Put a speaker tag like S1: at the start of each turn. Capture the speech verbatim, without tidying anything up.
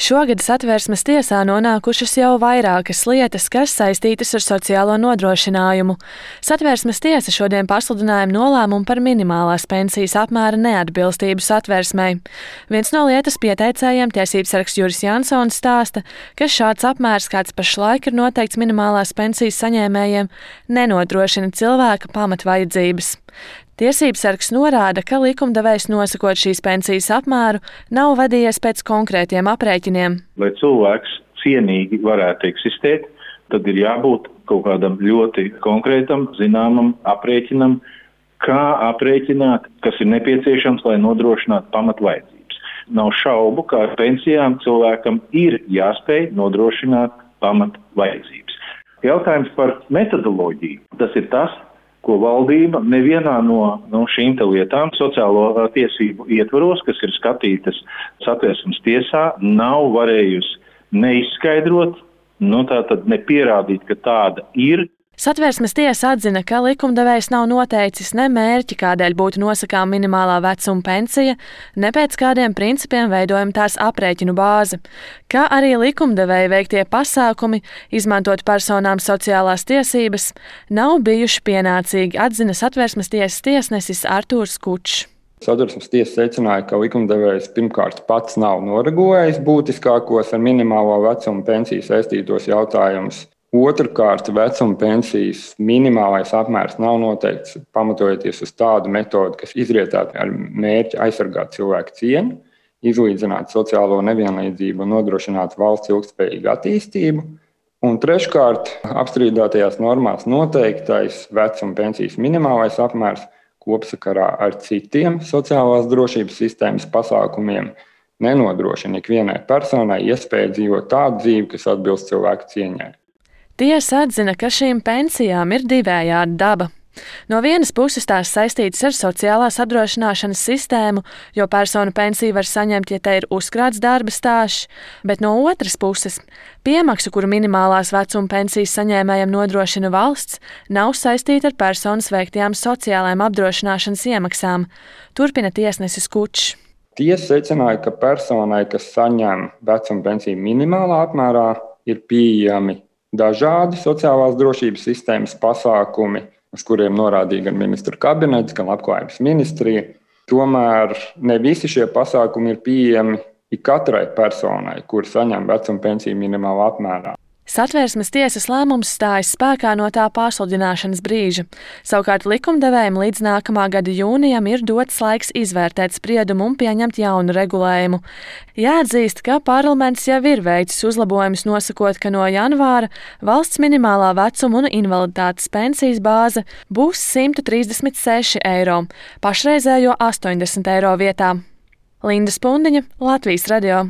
S1: Šogad Satversmes tiesā nonākušas jau vairākas lietas, kas saistītas ar sociālo nodrošinājumu. Satversmes tiesa šodien pasludināja nolēmumu par minimālās pensijas apmēra neatbilstību Satversmei. Viens no lietas pieteicējiem, tiesībsargs Juris Jansons, stāsta, ka šāds apmērs, kāds pašlaik ir noteikts minimālās pensijas saņēmējiem, nenodrošina cilvēka pamatvajadzības. Tiesībsargs norāda, ka likumdevējs nosakot šīs pensijas apmēru nav vadījies pēc konkrētiem aprēķiniem.
S2: Lai cilvēks cienīgi varētu eksistēt, tad ir jābūt kaut kādam ļoti konkrētam, zināmam aprēķinam, kā aprēķināt, kas ir nepieciešams, lai nodrošinātu pamatvajadzības. Nav šaubu, ka ar pensijām cilvēkam ir jāspēj nodrošināt pamatvajadzības. Jautājums par metodoloģiju. Tas ir tas, ko valdība nevienā no, no šīm te lietām sociālo tiesību ietvaros, kas ir skatītas Satversmes tiesā, nav varējusi neizskaidrot, nu tātad nepierādīt, ka tāda ir.
S1: Satversmes tiesa atzina, ka likumdevējs nav noteicis ne mērķi, kādēļ būtu nosakām minimālā vecuma pensija, ne pēc kādiem principiem veidojam tās aprēķinu bāzi, kā arī likumdevēja veiktie pasākumi, izmantot personām sociālās tiesības, nav bijuši pienācīgi, atzina Satversmes tiesas tiesnesis Artūrs Kučs.
S3: Satversmes tiesa secināja, ka likumdevējs pirmkārt pats nav noregulējis būtiskākos ar minimālo vecuma pensiju saistītos jautājumus. Otrkārt, vecuma pensijas minimālais apmērs nav noteikts pamatojoties uz tādu metodi, kas izrietētu ar mērķi aizsargāt cilvēku cieņu, izlīdzināt sociālo nevienlīdzību un nodrošināt valsts ilgtspējīgu attīstību. Un treškārt, apstrīdētajās normās noteiktais vecuma pensijas minimālais apmērs kopsakarā ar citiem sociālās drošības sistēmas pasākumiem nenodrošina ikvienai personai iespēju dzīvot tādu dzīvi, kas atbilst cilvēku cieņai.
S1: Tiesa atzina, ka šīm pensijām ir divējāda daba. No vienas puses tās saistītas ar sociālās apdrošināšanas sistēmu, jo personu pensiju var saņemt, ja te ir uzkrāts darba stāžs, bet no otras puses piemaksu, kuru minimālās vecuma pensijas saņēmējiem nodrošina valsts, nav saistīta ar personas veiktajām sociālajām apdrošināšanas iemaksām, turpina tiesnesis Kučs.
S3: Tiesa secināja, ka personai, kas saņem vecuma pensiju minimālā apmērā, ir pieejami dažādi sociālās drošības sistēmas pasākumi, uz kuriem norādīja gan ministru kabinets, gan Labklājības ministrija. Tomēr ne visi šie pasākumi ir pieejami ikatrai personai, kur saņem vecuma pensiju minimālā apmērā.
S1: Satversmes tiesas lēmums stājas spēkā no tā pasludināšanas brīža. Savukārt likumdevējiem līdz nākamā gada jūnijam ir dots laiks izvērtēt spriedumu un pieņemt jaunu regulējumu. Jāatzīst, ka parlaments jau ir veicis uzlabojumus nosakot, ka no janvāra valsts minimālā vecuma un invaliditātes pensijas bāze būs simt trīsdesmit seši eiro, pašreizējo astoņdesmit eiro vietā. Linda Spundiņa, Latvijas radio.